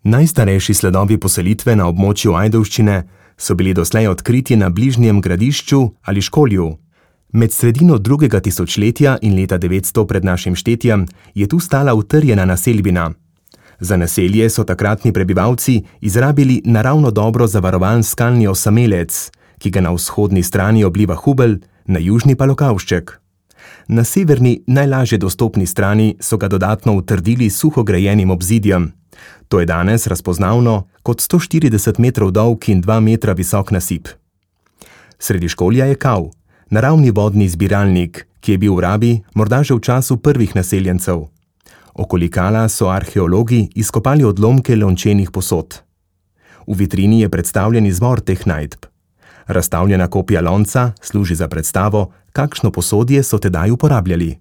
Najstarejši sledovi poselitve na območju Ajdovščine so bili doslej odkriti na bližnjem Gradišču ali Školju. Med sredino 2. tisočletja in leta 900 pred našim štetjem je tu stala utrjena naselbina. Za naselje so takratni prebivalci izrabili naravno dobro zavarovan skalni osamelec, ki ga na vzhodni strani obliva Hubelj, na južni pa Lokavšček. Na severni, najlažje dostopni strani so ga dodatno utrdili s suho grajenim obzidjem. To je danes razpoznavno kot 140 metrov dolg in 2 metra visok nasip. Sredi Školja je Kav, naravni vodni zbiralnik, ki je bil v rabi morda že v času prvih naseljencev. Okoli Kala so arheologi izkopali odlomke lončenih posod. V vitrini je predstavljen izvor teh najdb. Razstavljena kopija lonca služi za predstavo, kakšno posodje so tedaj uporabljali.